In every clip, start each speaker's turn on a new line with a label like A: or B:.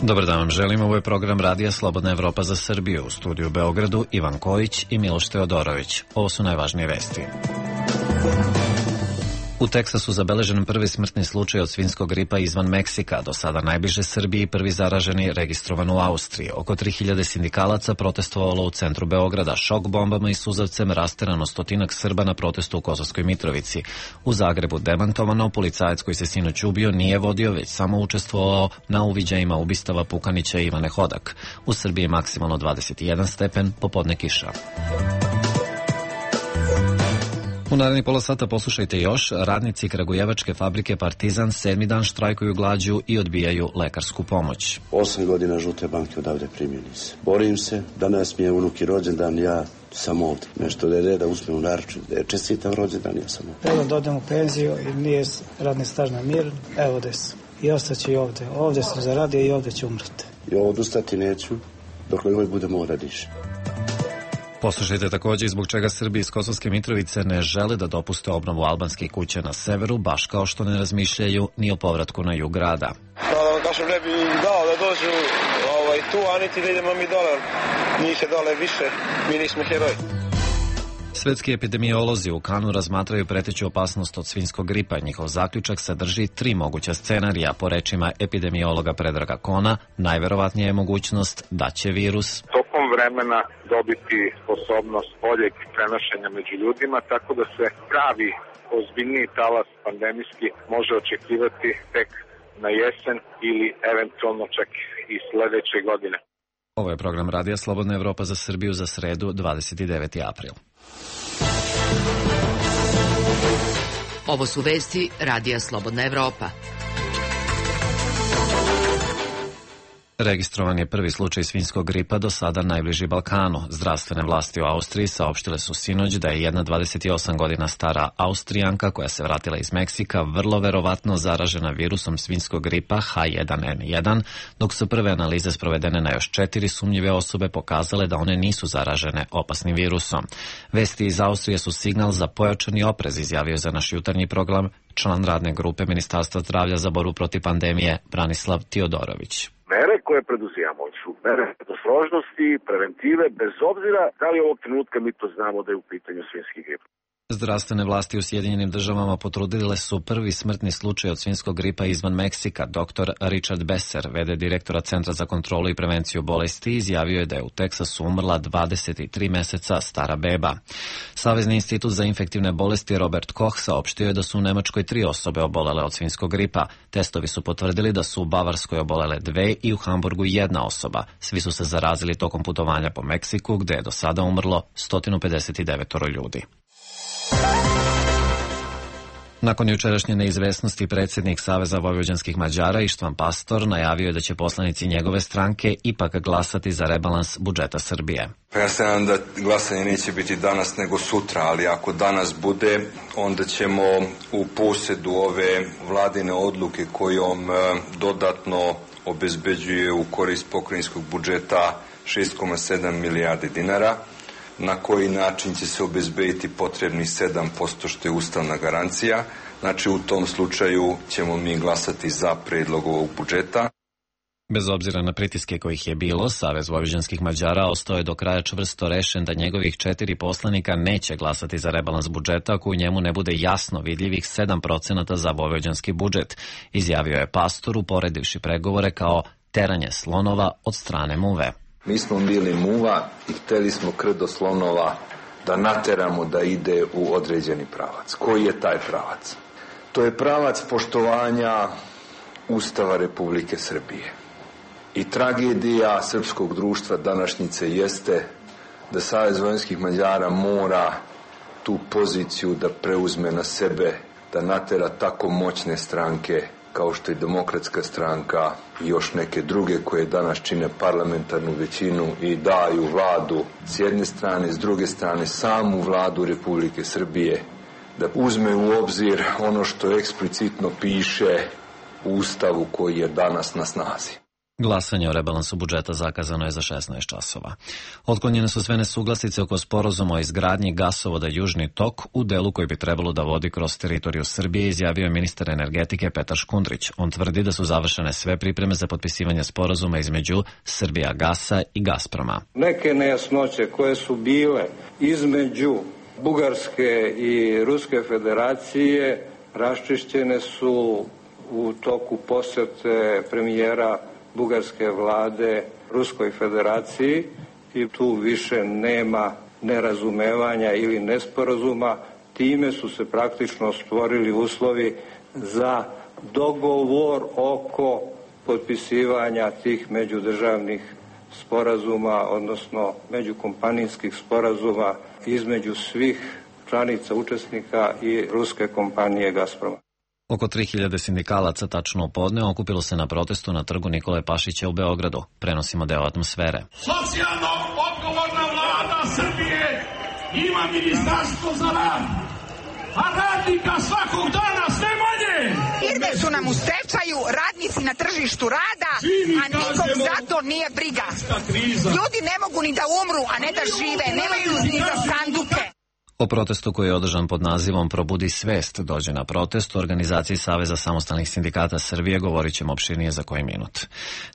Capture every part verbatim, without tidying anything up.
A: Dobar dan vam želim, ovo je program Radija Slobodna Evropa za Srbiju. U studiju u Beogradu Ivan Kojić i Miloš Teodorović. Ovo su najvažnije vesti. U Teksasu zabeležen prvi smrtni slučaj od svinjskog gripa izvan Meksika, do sada najbliže Srbiji, prvi zaraženi registrovan u Austriji. Oko tri hiljade sindikalaca protestovalo u centru Beograda, šok bombama i suzavcem rasterano stotinak Srba na protestu u Kosovskoj Mitrovici. U Zagrebu demantovano, policajac koji se sinoć ubio nije vodio, već samo učestvovao na uviđajima ubistava Pukanića i Ivane Hodak. U Srbiji je maksimalno dvadeset jedan stepen, popodne kiša. U narednih pola sata poslušajte još. Radnici kragujevačke fabrike Partizan sedmi dan štrajkuju glađu i odbijaju lekarsku pomoć.
B: Osam godina žute banke odavde primjeni se. Borim se, danas mi je unuki rođendan, ja sam ovdje. Nešto da je reda uzme u naručju, da je čestitam rođendan, ja sam ovdje.
C: Evo da odem u penziju i nije radni staž na mir, evo da sam. I ostaću i ovdje. Ovdje sam zaradio i ovdje ću umrati.
B: I ovo odustati neću, dok ovaj bude mora diše.
A: Poslušajte također zbog čega Srbi iz Kosovske Mitrovice ne žele da dopuste obnovu albanskih kuća na severu, baš kao što ne razmišljaju ni o povratku na jug grada.
D: Da, kažem, ne bi im dao da dođu ovaj, tu, a niti da idemo mi dole. Njih je dole više, mi nismo heroji.
A: Svetski epidemiolozi u Kanu razmatraju preteću opasnost od svinjskog gripa. Njihov zaključak sadrži tri moguća scenarija. Po rečima epidemiologa Predraga Kona, najverovatnija je mogućnost da će virus
E: tokom vremena dobiti sposobnost boljeg prenošenja među ljudima, tako da se pravi ozbiljniji talas pandemijski može očekivati tek na jesen ili eventualno čak i sledeće godine.
A: Ovo je program Radija Slobodna Evropa za Srbiju za sredu dvadeset deveti april.
F: Ovo su vesti Radija Slobodna Evropa.
A: Registrovan je prvi slučaj svinjskog gripa, do sada najbliži Balkanu. Zdravstvene vlasti u Austriji saopštile su sinoć da je jedna dvadeset osam godina stara Austrijanka koja se vratila iz Meksika vrlo verovatno zaražena virusom svinjskog gripa H jedan N jedan, dok su prve analize sprovedene na još četiri sumnjive osobe pokazale da one nisu zaražene opasnim virusom. Vesti iz Austrije su signal za pojačani oprez, izjavio za naš jutarnji program član radne grupe Ministarstva zdravlja za borbu protiv pandemije Branislav Teodorović.
E: Mere koje preduzimamo su mere predostrožnosti, preventive, bez obzira da li ovog trenutka mi to znamo da je u pitanju svinjski grip.
A: Zdravstvene vlasti u Sjedinjenim državama potrudile su prvi smrtni slučaj od svinjskog gripa izvan Meksika. Doktor Richard Besser, v d direktora Centra za kontrolu i prevenciju bolesti, izjavio je da je u Teksasu umrla dvadeset tri meseca stara beba. Savezni institut za infektivne bolesti Robert Koch saopštio je da su u Nemačkoj tri osobe obolele od svinjskog gripa. Testovi su potvrdili da su u Bavarskoj obolele dve i u Hamburgu jedna osoba. Svi su se zarazili tokom putovanja po Meksiku, gde je do sada umrlo sto pedeset devet ljudi. Nakon jučerašnje neizvesnosti, predsjednik Saveza vojvođanskih Mađara Ištvan Pastor najavio je da će poslanici njegove stranke ipak glasati za rebalans budžeta Srbije.
G: Ja se nadam da glasanje neće biti danas nego sutra, ali ako danas bude, onda ćemo u posjedu ove vladine odluke kojom dodatno obezbeđuje u korist pokrajinskog budžeta šest zarez sedam milijardi dinara, na koji način će se obezbediti potrebni sedam posto što je ustavna garancija. Znači u tom slučaju ćemo mi glasati za predlog ovog budžeta.
A: Bez obzira na pritiske kojih je bilo, Savez vojvođanskih Mađara ostao je do kraja čvrsto rešen da njegovih četiri poslanika neće glasati za rebalans budžeta ako u njemu ne bude jasno vidljivih sedam procenata za vojvođanski budžet, izjavio je Pastor uporedivši pregovore kao teranje slonova od strane muve.
H: Mi smo bili muva i hteli smo krdo slonova da nateramo da ide u određeni pravac. Koji je taj pravac? To je pravac poštovanja Ustava Republike Srbije. I tragedija srpskog društva današnjice jeste da Savez vojvođanskih Mađara mora tu poziciju da preuzme na sebe, da natera tako moćne stranke kao što je Demokratska stranka i još neke druge koje danas čine parlamentarnu većinu i daju vladu s jedne strane, s druge strane samu vladu Republike Srbije, da uzme u obzir ono što eksplicitno piše u Ustavu koji je danas na snazi.
A: Glasanje o rebalansu budžeta zakazano je za šesnaest časova. Otklonjene su sve nesuglasice oko sporazuma o izgradnji gasovoda Južni tok u delu koji bi trebalo da vodi kroz teritoriju Srbije, izjavio je ministar energetike Petar Škundrić. On tvrdi da su završene sve pripreme za potpisivanje sporazuma između Srbijagasa i Gazproma.
I: Neke nejasnoće koje su bile između Bugarske i Ruske federacije raščišćene su u toku posete premijera Bugarske vlade Ruskoj federaciji i tu više nema nerazumevanja ili nesporazuma. Time su se praktično stvorili uslovi za dogovor oko potpisivanja tih međudržavnih sporazuma, odnosno međukompanijskih sporazuma između svih članica učesnika i ruske kompanije Gazproma.
A: Oko tri hiljade sindikalaca tačno u podne okupilo se na protestu na trgu Nikole Pašića u Beogradu. Prenosimo deo atmosfere.
J: Socijalno odgovorna vlada Srbije ima ministarstvo za rad, a radnika svakog dana sve manje.
K: Firme su nam u stečaju, radnici na tržištu rada, a nikom za to nije briga. Ljudi ne mogu ni da umru, a ne da žive, nemaju ni za sanduke.
A: O protestu koji je održan pod nazivom Probudi svest dođe na protest u organizaciji Saveza samostalnih sindikata Srbije govorit ćemo opširnije za koji minut.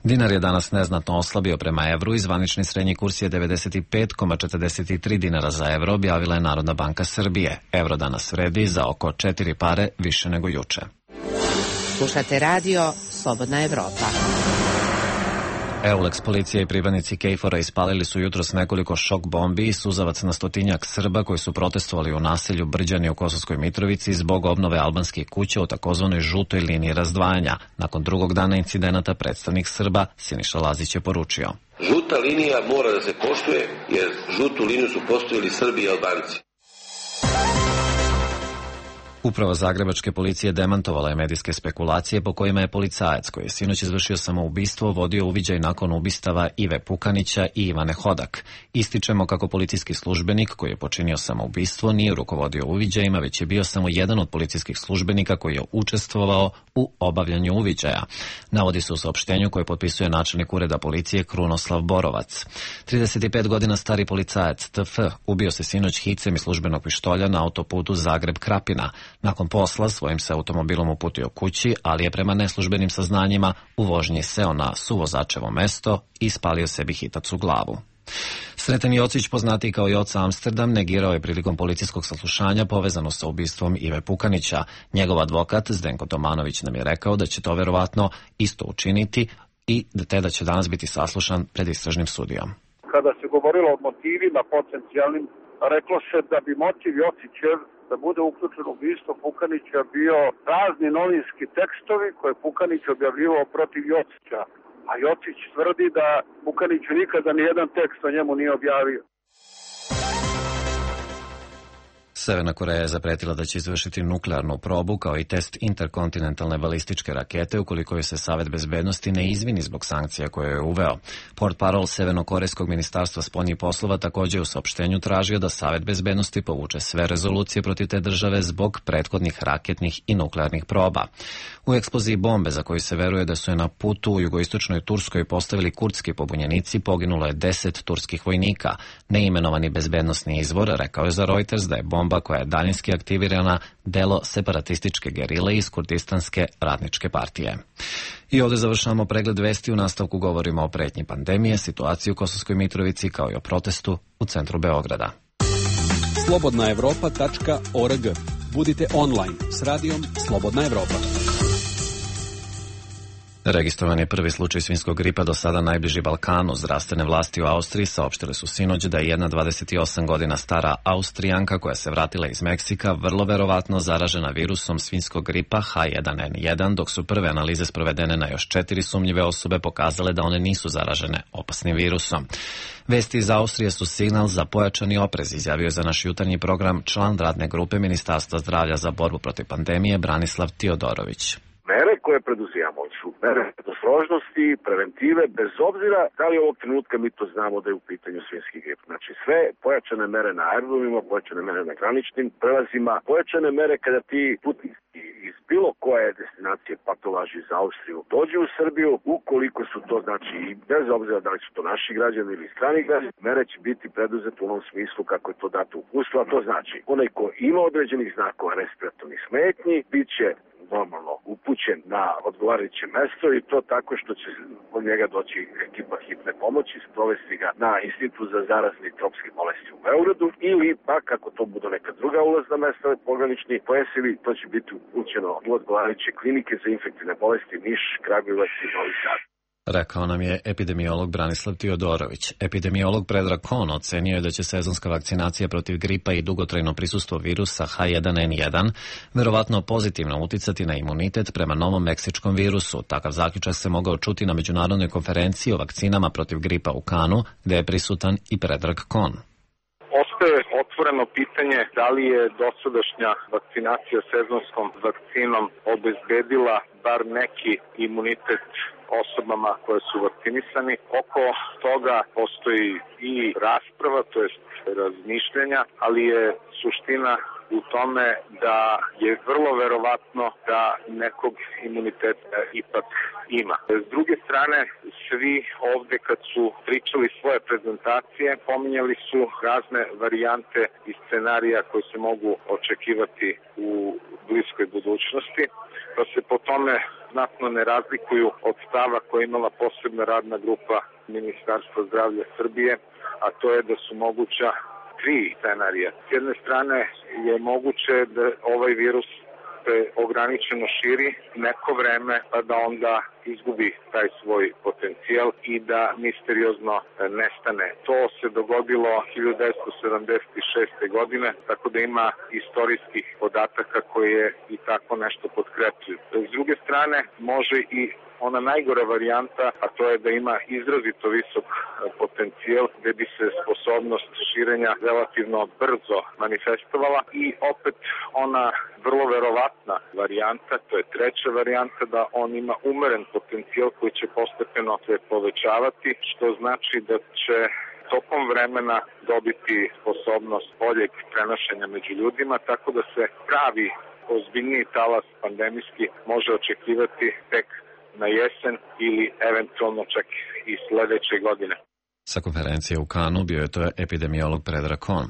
A: Dinar je danas neznatno oslabio prema evru i zvanični srednji kurs je devedeset pet zarez četrdeset tri dinara za evro, objavila je Narodna banka Srbije. Evro danas vredi za oko četiri pare više nego juče.
F: Slušate radio Slobodna Evropa.
A: Eulex policija i pripadnici Kejfora ispalili su jutros nekoliko šok bombi i suzavac na stotinjak Srba koji su protestovali u naselju Brđani u Kosovskoj Mitrovici zbog obnove albanskih kuća u takozvanoj žutoj liniji razdvajanja. Nakon drugog dana incidenata predstavnik Srba Siniša Lazić je poručio:
L: Žuta linija mora da se poštuje jer žutu liniju su postavili Srbi i Albanci.
A: Uprava zagrebačke policije demantovala je medijske spekulacije po kojima je policajac koji je sinoć izvršio samoubistvo vodio uviđaj nakon ubistava Ive Pukanića i Ivane Hodak. Ističemo kako policijski službenik koji je počinio samoubistvo nije rukovodio uviđajima, već je bio samo jedan od policijskih službenika koji je učestvovao u obavljanju uviđaja. Navodi se u saopštenju koje potpisuje načelnik ureda policije Krunoslav Borovac. trideset pet godina stari policajac T F ubio se sinoć hicem iz službenog pištolja na autoputu Zagreb-Krapina. Nakon posla svojim se automobilom uputio kući, ali je prema neslužbenim saznanjima u vožnji seo na suvozačevo mesto i spalio sebi hitac u glavu. Sreten Jocić, poznatiji kao Joca Amsterdam, negirao je prilikom policijskog saslušanja povezano sa ubistvom Ive Pukanića. Njegov advokat Zdenko Tomanović nam je rekao da će to verovatno isto učiniti i te da će danas biti saslušan pred istražnim sudijom.
M: Kada se govorilo o motivima potencijalnim, reklo se da bi motiv Jocićev da bude uključen u ubistvo Pukanića bio razni novinski tekstovi koje Pukanić objavljivao protiv Jocića, a Jocić tvrdi da Pukaniću nikada nijedan tekst o njemu nije objavio.
A: Severna Koreja je zapretila da će izvršiti nuklearnu probu kao i test interkontinentalne balističke rakete ukoliko je se Savet bezbednosti ne izvini zbog sankcija koje je uveo. Portparol Severnokorejskog ministarstva spoljnih poslova također u saopštenju tražio da Savet bezbednosti povuče sve rezolucije protiv te države zbog prethodnih raketnih i nuklearnih proba. U eksploziji bombe za koju se veruje da su je na putu u jugoistočnoj Turskoj postavili kurdski pobunjenici poginulo je deset turskih vojnika. Neimenovani bezbednosni izvor rekao je za Reuters da je bomba koja je daljinski aktivirana delo separatističke gerile iz Kurdistanske radničke partije. I ovdje završavamo pregled vesti, u nastavku govorimo o pretnji pandemije, situaciji u Kosovskoj Mitrovici kao i o protestu u centru Beograda.
N: slobodna evropa tačka org. Budite online s radijom Slobodna Evropa.
A: Registrovan je prvi slučaj svinjskog gripa do sada najbliži Balkanu. Zdravstvene vlasti u Austriji saopštile su sinoć da je jedna dvadeset osam godina stara Austrijanka koja se vratila iz Meksika vrlo verovatno zaražena virusom svinjskog gripa H jedan N jedan, dok su prve analize sprovedene na još četiri sumnjive osobe pokazale da one nisu zaražene opasnim virusom. Vesti iz Austrije su signal za pojačani oprez, izjavio je za naš jutarnji program član radne grupe Ministarstva zdravlja za borbu protiv pandemije Branislav Tiodorović.
O: Mere
M: koje preduzijamo su mere predostrožnosti, preventive, bez obzira da li ovog trenutka mi to znamo da je u pitanju svinjski grip. Znači sve pojačane mere na aerodromima, pojačane mere na graničnim prelazima, pojačane mere kada ti putnici iz bilo koje destinacije, pa to važi za Austriju, dođu u Srbiju, ukoliko su to, znači, bez obzira da li su to naši građani ili strani građani, mere će biti preduzete u onom smislu kako je to dato u uputstvu, a to znači onaj ko ima određenih znakova respiratornih smetnji, bit će normalno upućen na odgovarajuće mesto i to tako što će od njega doći ekipa hitne pomoći, sprovesti ga na Institut za zarazne i tropske bolesti u Beogradu ili pa kako to bude neka druga ulazna mesta pogranični pojasevi, to će biti upućeno u odgovarajuće klinike za infektivne bolesti Niš, Kragujevac i Novi Sad.
A: Rekao nam je epidemiolog Branislav Tiodorović. Epidemiolog Predrag Kon ocenio je da će sezonska vakcinacija protiv gripa i dugotrajno prisustvo virusa H jedan N jedan verovatno pozitivno uticati na imunitet prema novom meksičkom virusu. Takav zaključak se mogao čuti na međunarodnoj konferenciji o vakcinama protiv gripa u Kanu, gde je prisutan i Predrag Kon.
E: Ostaje otvoreno pitanje da li je dosadašnja vakcinacija sezonskom vakcinom obezbedila bar neki imunitet osobama koje su vakcinisani. Oko toga postoji i rasprava, to jest razmišljanja, ali je suština u tome da je vrlo verovatno da nekog imuniteta ipak ima. S druge strane, svi ovde kad su pričali svoje prezentacije, pominjali su razne varijante i scenarija koji se mogu očekivati u bliskoj budućnosti, pa se po tome znatno ne razlikuju od stava koja je imala posebna radna grupa Ministarstva zdravlja Srbije, a to je da su moguća tri scenarija. S jedne strane je moguće da ovaj virus se ograničeno širi neko vreme, pa da onda izgubi taj svoj potencijal i da misteriozno nestane. To se dogodilo hiljadu devetsto sedamdeset šeste. godine, tako da ima istorijskih podataka koje i tako nešto potkrepljuju. S druge strane, može i ona najgora varijanta, a to je da ima izrazito visok potencijal gde bi se sposobnost širenja relativno brzo manifestovala i opet ona vrlo verovatna varijanta, to je treća varijanta, da on ima umeren potencijal koji će postepeno se povećavati, što znači da će tokom vremena dobiti sposobnost boljeg prenošenja među ljudima, tako da se pravi ozbiljniji talas pandemijski može očekivati tek na jesen ili eventualno čak i sledeće godine.
A: Sa konferencije u Kanu bio je to epidemiolog Predrag Kon.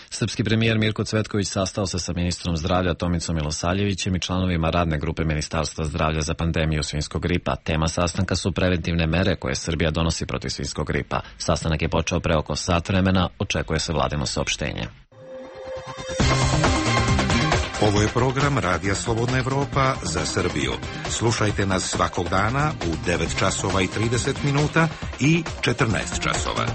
A: Srpski premijer Mirko Cvetković sastao se sa ministrom zdravlja Tomicom Milosavljevićem i članovima radne grupe Ministarstva zdravlja za pandemiju svinjskog gripa. Tema sastanka su preventivne mere koje Srbija donosi protiv svinjskog gripa. Sastanak je počeo pre oko sat vremena, očekuje se vladino saopštenje.
O: Ovo je program Radija Slobodna Evropa za Srbiju. Slušajte nas svakog dana u devet časova i trideset minuta i četrnaest časova.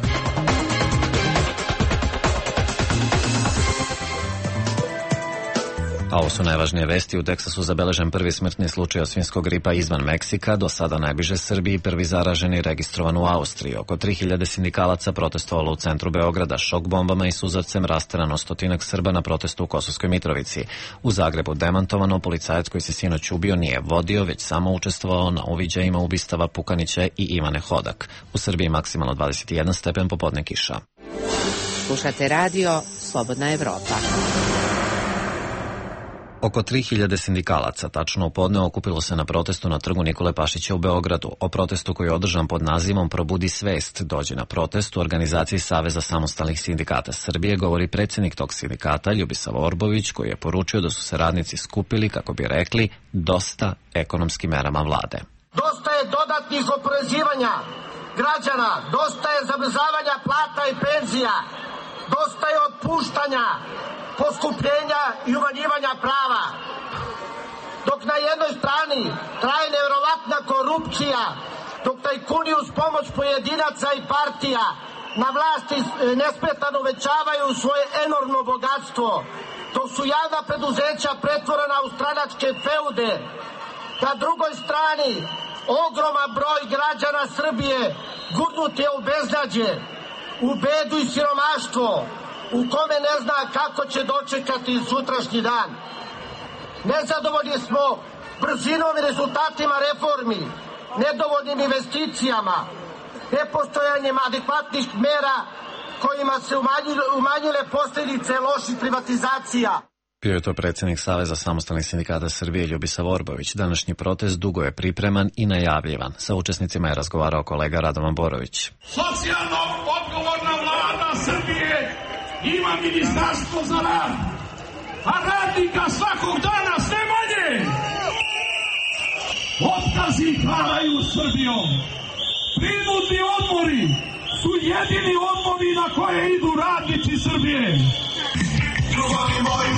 A: A ovo su najvažnije vesti. U Teksasu zabeležen prvi smrtni slučaj od svinjskog gripa izvan Meksika, do sada najbliže Srbiji, prvi zaraženi registrovan u Austriji. Oko tri hiljade sindikalaca protestovalo u centru Beograda, šok bombama i suzavcem rasterano stotinak Srba na protestu u Kosovskoj Mitrovici. U Zagrebu demantovano, policajac koji se sinoć ubio nije vodio, već samo učestvovao na uviđajima ubistava Pukanića i Ivane Hodak. U Srbiji maksimalno dvadeset jedan stepen, popodne kiša.
F: Slušate radio Slobodna Evropa.
A: Oko tri hiljade sindikalaca tačno u podne okupilo se na protestu na trgu Nikole Pašića u Beogradu. O protestu koji je održan pod nazivom Probudi svest, dođe na protest u organizaciji Saveza samostalnih sindikata Srbije, govori predsjednik tog sindikata Ljubisav Orbović, koji je poručio da su se radnici skupili, kako bi rekli, dosta ekonomskim merama vlade.
P: Dosta je dodatnih oporezivanja građana, dosta je zamrzavanja plata i penzija, dosta je otpuštanja, poskupljenja i umanjivanja prava. Dok na jednoj strani traje nevjerovatna korupcija, dok tajkuni uz pomoć pojedinaca i partija na vlasti nesmetano uvećavaju svoje enormno bogatstvo, dok su javna preduzeća pretvorena u stranačke feude, na drugoj strani ogroman broj građana Srbije gurnut je u beznađe, u bedu i siromaštvo, u kome ne zna kako će dočekati sutrašnji dan. Nezadovoljni smo brzinom i rezultatima reformi, nedovoljnim investicijama, nepostojanjem adekvatnih mera kojima se umanjile, umanjile posljedice loših privatizacija.
A: Bio je to predsjednik Saveza samostalnih sindikata Srbije Ljubisa Vorbović. Današnji protest dugo je pripreman i najavljivan. Sa učesnicima je razgovarao kolega Radovan Borović.
J: Socijalno odgovorna vlada Srbije ima ministarstvo za rad, a radnika svakog dana sve manje. Otkazi hvalaju Srbijom. Prinudni odmori su jedini odmori na koje idu radnici Srbije. Ljubavi moji,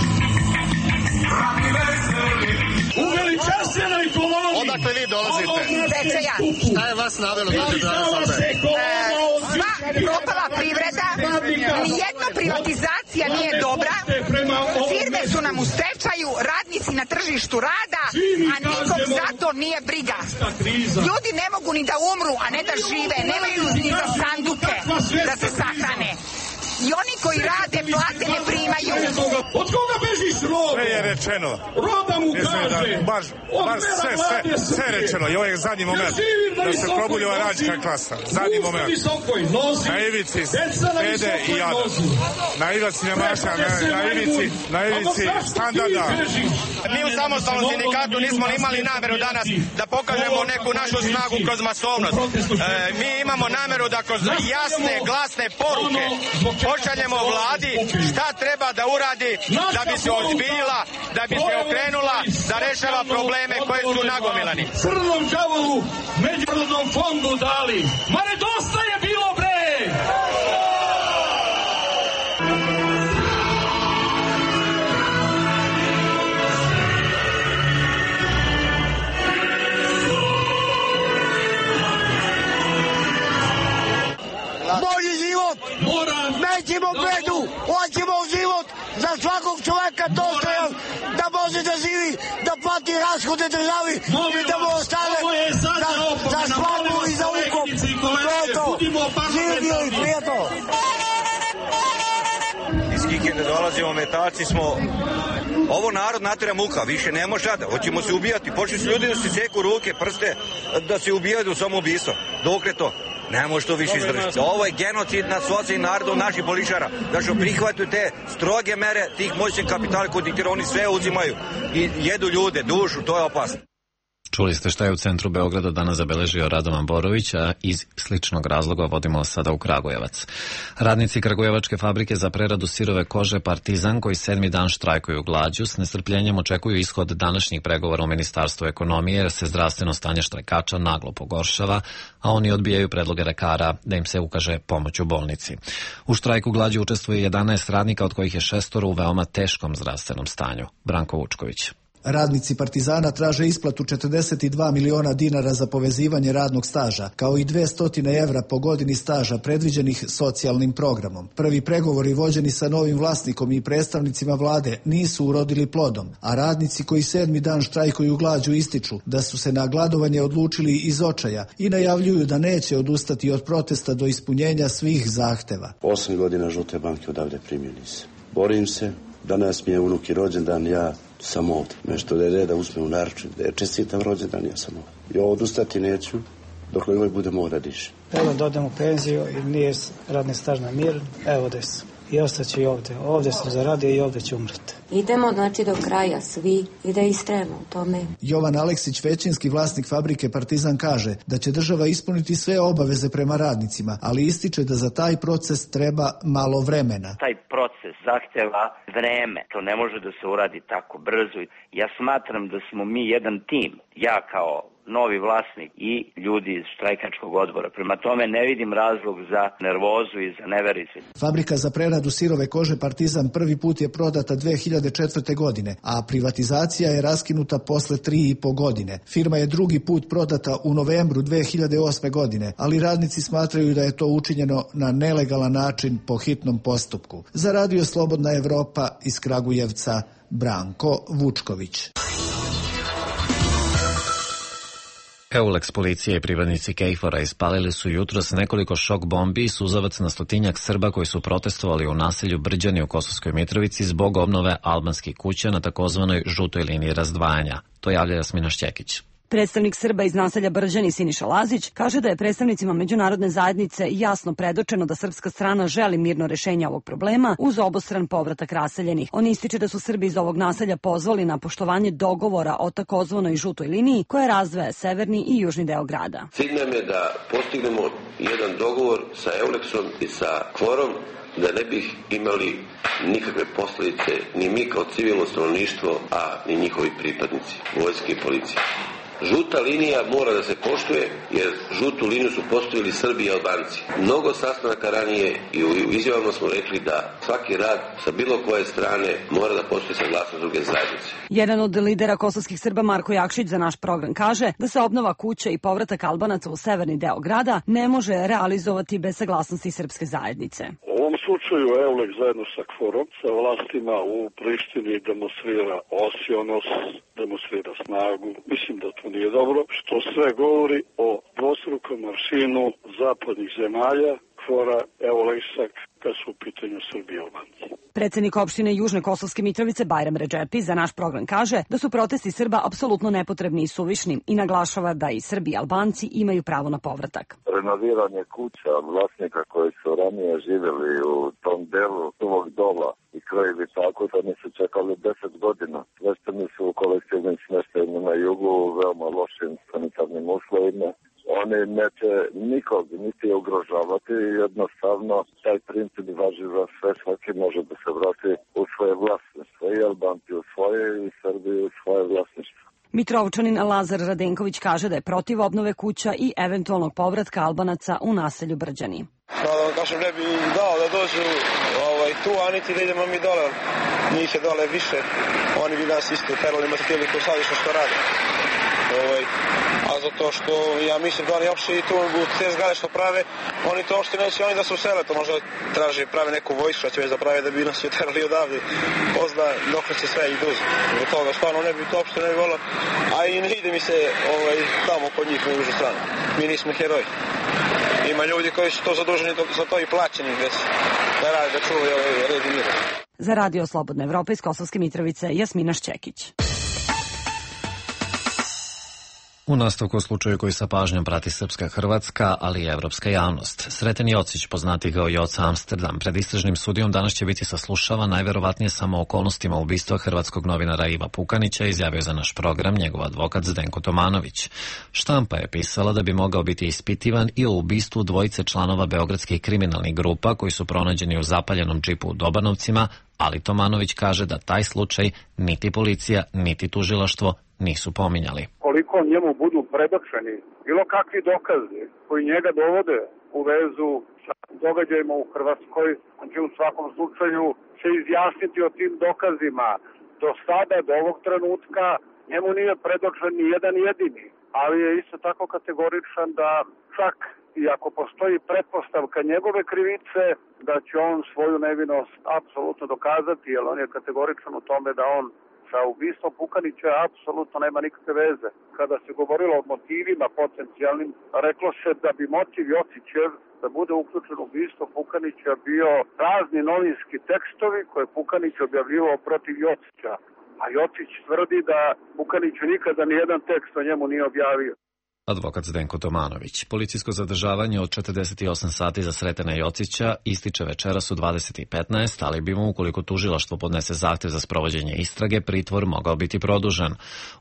J: radni veseli, uveličanstveno i koloni.
Q: Odakle vi dolazite?
K: Bečeja.
Q: Šta je vas navelo da ćete danas ovde?
K: Sva propala privreda, nijedna privatizacija nije dobra, firme su nam u stečaju, radnici na tržištu rada, a nikom zato nije briga. Ljudi ne mogu ni da umru, a ne da žive, nemaju ni za sanduke da se sahrane. I oni koji rade plate ne primaju.
J: Od koga bežiš robe?
Q: Sve je rečeno.
J: Roba mu kaže.
Q: Da, baš baš sve, sve, sve je rečeno. I ovaj zadnji moment da se probudi ova radnička klasa. Zadnji moment. Na ivici bede i jada. Na ivici nemaša, na ivici, na ivici standarda.
R: Mi u samostalnom sindikatu nismo imali nameru danas da pokažemo neku našu snagu kroz masovnost. E, mi imamo nameru da kroz jasne, glasne poruke pošaljemo vladi šta treba da uradi da bi se ozbiljila, da bi se okrenula, da rešava probleme koje su nagomilani.
J: Crnom đavolu Međunarodnom fondu dali. Ma ne dosta je bilo, bre!
P: Bolji život! Nećemo bedu! Hoćemo život za svakog čoveka dostojan da može da živi, da plati rashode državi i da mu ostane za, za slavu i za ukop. To je to. Živio i prijatno!
R: Iz Kikinde dolazimo, metači smo. Ovo narod natera muka, više ne može da. Hoćemo se ubijati. Počeli su ljudi da se seku ruke, prste, da se ubijaju u samoubistvo. Dokle to? Ne može to više izdržiti. Ovo je genocid nad socijalnim narodom naših političara. Da što prihvataju te stroge mere tih moćnih kapitala koji diktiraju, oni sve uzimaju i jedu ljude, dušu, to je opasno.
A: Čuli ste šta je u centru Beograda danas zabeležio Radovan Borović, a iz sličnog razloga vodimo sada u Kragujevac. Radnici Kragujevačke fabrike za preradu sirove kože Partizan, koji sedmi dan štrajkuju glađu, s nestrpljenjem očekuju ishod današnjih pregovora u Ministarstvu ekonomije, jer se zdravstveno stanje štrajkača naglo pogoršava, a oni odbijaju predloge lekara da im se ukaže pomoć u bolnici. U štrajku glađu učestvuje jedanaest radnika, od kojih je šestoro u veoma teškom zdravstvenom stanju. Branko Vučković.
S: Radnici Partizana traže isplatu četrdeset dva miliona dinara za povezivanje radnog staža, kao i dvesta evra po godini staža predviđenih socijalnim programom. Prvi pregovori vođeni sa novim vlasnikom i predstavnicima vlade nisu urodili plodom, a radnici koji sedmi dan štrajkuju glađu ističu da su se na gladovanje odlučili iz očaja i najavljuju da neće odustati od protesta do ispunjenja svih zahteva.
B: Osam godina žute banke odavde primio nisam. Borim se, danas mi je unuk i rođendan, ja sam ovdje. Nešto da je reda usme u narču, da je čestitam rođendan, ja sam ovdje. I odustati neću, dok ovaj bude mora diše.
C: Evo da odem u penziju i nije radni staž na mir, evo da sam. I ostaću i ovdje. Ovdje sam zaradio i ovdje ću umreti.
T: Idemo znači do kraja svi i da istrajemo u tome.
S: Jovan Aleksić, većinski vlasnik fabrike Partizan, kaže da će država ispuniti sve obaveze prema radnicima, ali ističe da za taj proces treba malo vremena.
U: Taj proces zahteva vreme. To ne može da se uradi tako brzo. Ja smatram da smo mi jedan tim. Ja kao novi vlasnik i ljudi iz štrajkačkog odbora. Prema tome ne vidim razlog za nervozu i za nevericu.
S: Fabrika za preradu sirove kože Partizan prvi put je prodata dve hiljade četvrte. godine, a privatizacija je raskinuta posle tri i po godine. Firma je drugi put prodata u novembru dve hiljade osme. godine, ali radnici smatraju da je to učinjeno na nelegalan način po hitnom postupku. Za Radio Slobodna Evropa iz Kragujevca, Branko Vučković.
A: Eulex policije i pripadnici Kejfora ispalili su jutros nekoliko šok bombi i suzavac na stotinjak Srba koji su protestovali u naselju Brđani u Kosovskoj Mitrovici zbog obnove albanskih kuća na takozvanoj žutoj liniji razdvajanja. To javlja Jasmina Šćekić.
D: Predstavnik Srba iz naselja Brđani Siniša Lazić kaže da je predstavnicima međunarodne zajednice jasno predočeno da srpska strana želi mirno rešenje ovog problema uz obostran povratak raseljenih. On ističe da su Srbi iz ovog naselja pozvali na poštovanje dogovora o takozvanoj žutoj liniji koja razdvaja severni i južni deo grada.
L: Cilj nam je da postignemo jedan dogovor sa Eulexom i sa Kvorom da ne bih imali nikakve posljedice ni mi kao civilno stanovništvo, a ni njihovi pripadnici vojske i policije. Žuta linija mora da se poštuje, jer žutu liniju su postavili Srbi i Albanci. Mnogo sastanaka ranije i u izjavama smo rekli da svaki rad sa bilo koje strane mora da postoji saglasnost druge zajednice.
D: Jedan od lidera kosovskih Srba, Marko Jakšić, za naš program kaže da se obnova kuće i povratak Albanaca u severni deo grada ne može realizovati bez saglasnosti srpske zajednice.
M: U ovom slučaju Eulex zajedno sa Kvorom, sa vlastima u Prištini demonstrira osionost, demonstrira snagu. Mislim da to nije dobro, što sve govori o dvostrukom aršinu zapadnih zemalja, Kvora, Eulexa, kad su u pitanju Srbije i Albanci.
D: Predsednik opštine Južne Kosovske Mitrovice Bajram Redžepi za naš program kaže da su protesti Srba apsolutno nepotrebni i suvišni i naglašava da i Srbi i Albanci imaju pravo na povratak.
V: Renoviranje kuća vlasnika koji su ranije živjeli u tom delu ovog dola i krojevi tako da ne su čekali deset godina. Svešteni su u kolektivnim smještajima na jugu u veoma lošim sanitarnim uslovima. Oni neće nikog niti ugrožavati, jednostavno taj princip važi za sve, svaki može da se vrati u svoje vlasništvo, i Albanci u svoje i Srbi u svoje vlasništvo.
D: Mitrovčanin Lazar Radenković kaže da je protiv obnove kuća i eventualnog povratka Albanaca u naselju Brđani.
W: Da vam kažem, ne bi dao da dođu ovaj, tu, a niti da idemo mi dole. Njih je dole više, oni bi nas isto terali materijali koji sadišno što rade. Ovaj, a zato što ja mislim da oni uopšte i tu u te zgrade što prave, oni to uopšte neće oni da se usele, to možda traže, prave neku vojsku, a će već da prave da bi nas je terali odavde. Pozna dok će sve i duzi. Zbog toga stvarno ne bi to uopšte ne bi volao, a i ne ide mi se ovaj, tamo kod njih u užu stranu. Mi nismo heroji. Ima ljudi koji su to zaduženi za to i plaćeni već da rade, da čuvaju ovaj red i mir.
D: Za Radio Slobodna Evropa iz Kosovske Mitrovice, Jasmina Šćekić.
A: U nastavku o slučaju koji sa pažnjom prati srpska, hrvatska, ali i evropska javnost. Sreten Jocić, poznati kao Joca Amsterdam, pred istražnim sudijom danas će biti saslušavan najverovatnije samo okolnostima ubistva hrvatskog novinara Iva Pukanića, izjavio za naš program njegov advokat Zdenko Tomanović. Štampa je pisala da bi mogao biti ispitivan i o ubistvu dvojice članova beogradskih kriminalnih grupa koji su pronađeni u zapaljenom džipu u Dobanovcima, ali Tomanović kaže da taj slučaj niti policija, niti tužilaštvo nisu pominjali.
M: Koliko njemu budu predočeni bilo kakvi dokazi koji njega dovode u vezu sa događajima u Hrvatskoj, on će u svakom slučaju se izjasniti o tim dokazima. Do sada, do ovog trenutka, njemu nije predočen ni jedan jedini, ali je isto tako kategoričan da čak i ako postoji pretpostavka njegove krivice, da će on svoju nevinost apsolutno dokazati, jer on je kategoričan u tome da on sa ubistvom Pukanića apsolutno nema nikakve veze. Kada se govorilo o motivima potencijalnim, reklo se da bi motiv Jocićev da bude uključen u ubistvo Pukanića bio razni novinski tekstovi koje Pukanić objavljivao protiv Jocića. A Jocić tvrdi da Pukanić nikada nijedan tekst o njemu nije objavio.
A: Advokat Zdenko Tomanović. Policijsko zadržavanje od četrdeset osam sati za Sretena Jocića ističe večeras u dvadeset i petnaest, ali bi mu, ukoliko tužilaštvo podnese zahtev za sprovođenje istrage, pritvor mogao biti produžen.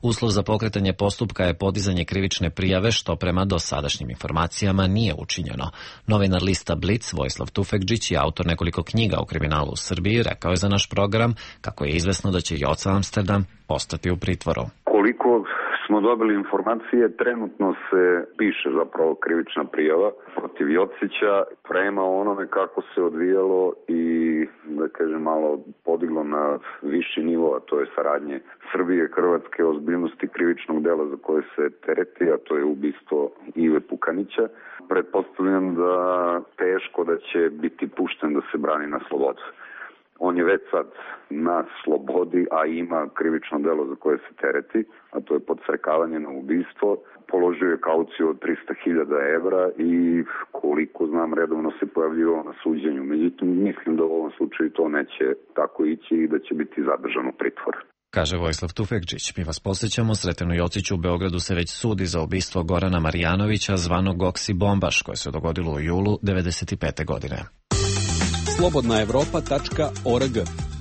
A: Uslov za pokretanje postupka je podizanje krivične prijave, što prema dosadašnjim informacijama nije učinjeno. Novinar lista Blic Vojislav Tufekđić i autor nekoliko knjiga o kriminalu u Srbiji rekao je za naš program kako je izvesno da će Joca Amsterdam ostati u pritvoru.
V: Koliko smo dobili informacije, trenutno se piše zapravo krivična prijava protiv Jocića prema onome kako se odvijalo i, da kažem, malo podiglo na viši nivo, a to je saradnje Srbije, Hrvatske, ozbiljnosti krivičnog dela za koje se tereti, a to je ubistvo Ive Pukanića. Pretpostavljam da teško da će biti pušten da se brani na slobodu.
G: On je već sad na slobodi, a ima krivično delo za koje se tereti, a to je podstrekavanje na ubistvo. Položio je kauciju od trista hiljada evra i koliko znam redovno se pojavljivao na suđenju. Međutim, mislim da u ovom slučaju to neće tako ići i da će biti zadržan u pritvoru.
A: Kaže Vojislav Tufekčić. Mi vas posjećamo, Sretenu Jociću u Beogradu se već sudi za ubistvo Gorana Marjanovića, zvanog Goksi Bombaš, koje se dogodilo u julu devedeset pete godine.
N: slobodna evropa tačka org.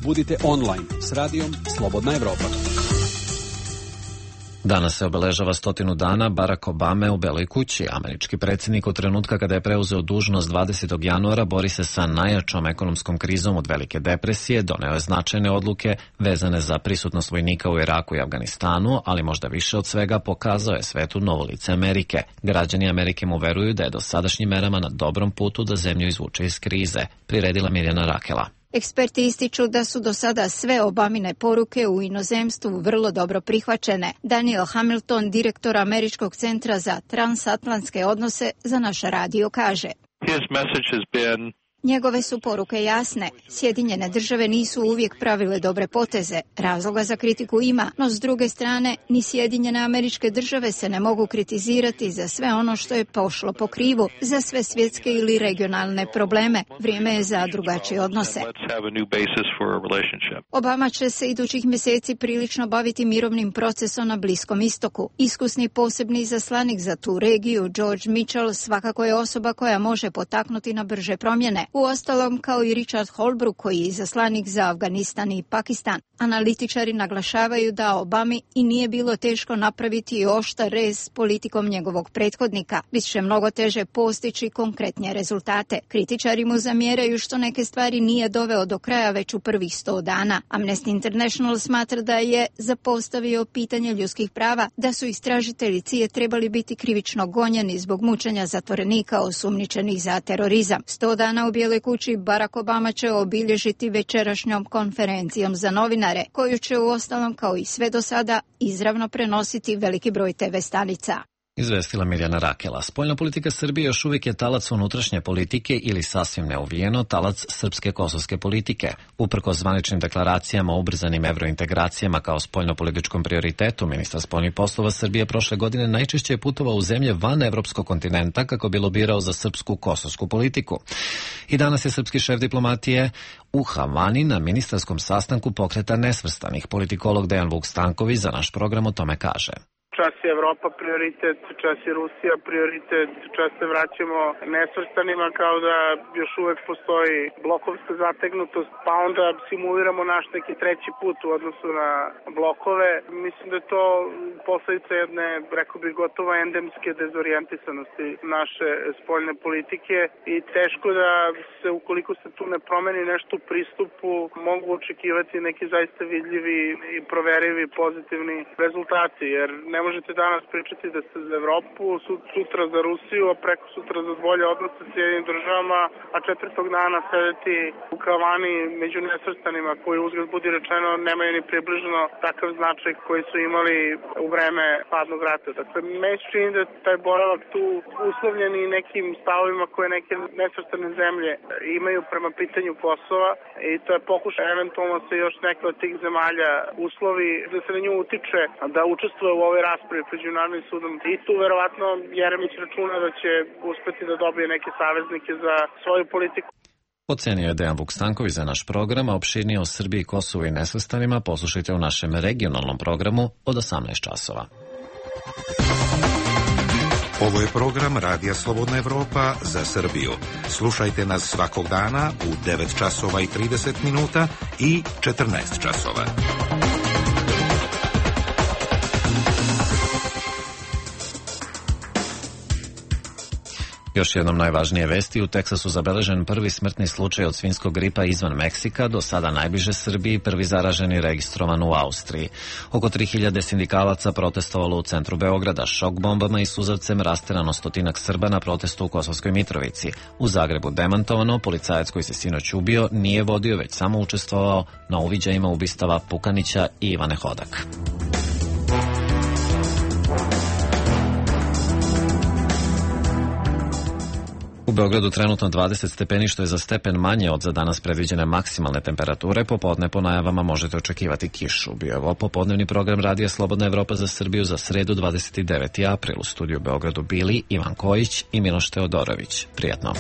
N: Budite online s radijom Slobodna Evropa.
A: Danas se obeležava stotinu dana Barack Obame u Beloj kući. Američki predsjednik od trenutka kada je preuzeo dužnost dvadesetog januara bori se sa najjačom ekonomskom krizom od Velike depresije, doneo je značajne odluke vezane za prisutnost vojnika u Iraku i Afganistanu, ali možda više od svega pokazao je svetu novo lice Amerike. Građani Amerike mu veruju da je do sadašnjim merama na dobrom putu da zemlju izvuče iz krize, priredila Mirjana Rakela.
H: Eksperti ističu da su do sada sve Obamine poruke u inozemstvu vrlo dobro prihvaćene. Daniel Hamilton, direktor Američkog centra za transatlantske odnose, za naš radio kaže:
I: His message has been
H: Njegove su poruke jasne. Sjedinjene države nisu uvijek pravile dobre poteze. Razloga za kritiku ima, no s druge strane, ni Sjedinjene Američke Države se ne mogu kritizirati za sve ono što je pošlo po krivu, za sve svjetske ili regionalne probleme. Vrijeme je za drugačije odnose. Obama će se idućih mjeseci prilično baviti mirovnim procesom na Bliskom istoku. Iskusni posebni izaslanik za tu regiju, George Mitchell, svakako je osoba koja može potaknuti na brže promjene. Uostalom, kao i Richard Holbrooke, koji je izaslanik za Afganistan i Pakistan. Analitičari naglašavaju da Obami i nije bilo teško napraviti oštar rez s politikom njegovog prethodnika. Bit će mnogo teže postići konkretnije rezultate. Kritičari mu zamjeraju što neke stvari nije doveo do kraja već u prvih sto dana. Amnesty International smatra da je zapostavio pitanje ljudskih prava, da su istražitelji C I E trebali biti krivično gonjeni zbog mučenja zatvorenika osumnjičenih za terorizam. Sto dana u Bijeloj kući Barack Obama će obilježiti večerašnjom konferencijom za novinare, koju će uostalom kao i sve do sada izravno prenositi veliki broj te ve stanica.
A: Izvestila Mirjana Rakela. Spoljna politika Srbije još uvijek je talac unutrašnje politike ili sasvim neuvijeno talac srpske kosovske politike. Uprkos zvaničnim deklaracijama o ubrzanim evrointegracijama kao spoljnopolitičkom prioritetu, ministar spoljnih poslova Srbije prošle godine najčešće je putovao u zemlje van evropskog kontinenta kako bi lobirao za srpsku kosovsku politiku. I danas je srpski šef diplomatije u Havani na ministarskom sastanku Pokreta nesvrstanih. Politikolog Dejan Vuk Stanković za naš program o tome kaže:
X: Čas je Evropa prioritet, čas je Rusija prioritet, čas se vraćamo nesvrstanima kao da još uvek postoji blokovska zategnutost, pa onda simuliramo naš neki treći put u odnosu na blokove. Mislim da je to posledica jedne, rekao bih, gotovo endemske dezorijentisanosti naše spoljne politike i teško da se, ukoliko se tu ne promeni nešto u pristupu, mogu očekivati neki zaista vidljivi i proverivi pozitivni rezultati, jer ne možete danas pričati da ste za Evropu, sutra za Rusiju, a preko sutra za bolje odnose s Sjedinim državama, a četvrtog dana sedeti u Havani među nesvrstanima koji, uzgled budi rečeno, nemaju ni približno takav značaj koji su imali u vreme hladnog rata. Dakle, meni se čini da taj boravak tu uslovljen i nekim stavovima koje neke nesvrstane zemlje imaju prema pitanju Kosova i to je pokušaj eventualno se još neke od tih zemalja uslovi da se na nju utiče, da učestvuje u ovoj raspravi pred Međunarodnim sudom. I tu verovatno Jeremić računa da će uspeti da dobije neke saveznike za svoju politiku.
A: Ocenio je Dejan Vuk Stanković za naš program, a opširnije o Srbiji, Kosovu i nesvrstanima poslušajte u našem regionalnom programu od osamnaest časova.
O: Ovo je program Radija Slobodna Evropa za Srbiju. Slušajte nas svakog dana u devet časova i trideset minuta i četrnaest časova.
A: Još jednom najvažnije vesti, u Teksasu zabeležen prvi smrtni slučaj od svinjskog gripa izvan Meksika, do sada najbliže Srbiji, prvi zaraženi registrovan u Austriji. Oko tri hiljade sindikalaca protestovalo u centru Beograda, šok bombama i suzavcem rasterano stotinak Srba na protestu u Kosovskoj Mitrovici. U Zagrebu demantovano, policajac koji se sinoć ubio nije vodio, već samo učestvovao na uviđajima ubistava Pukanića i Ivane Hodak. U Beogradu trenutno dvadeset stepeni, što je za stepen manje od za danas predviđene maksimalne temperature. Popodne po najavama možete očekivati kišu. Bio je ovo popodnevni program Radija Slobodna Evropa za Srbiju za sredu dvadeset deveti april. U studiju u Beogradu bili Ivan Kojić i Miloš Teodorović. Prijatno.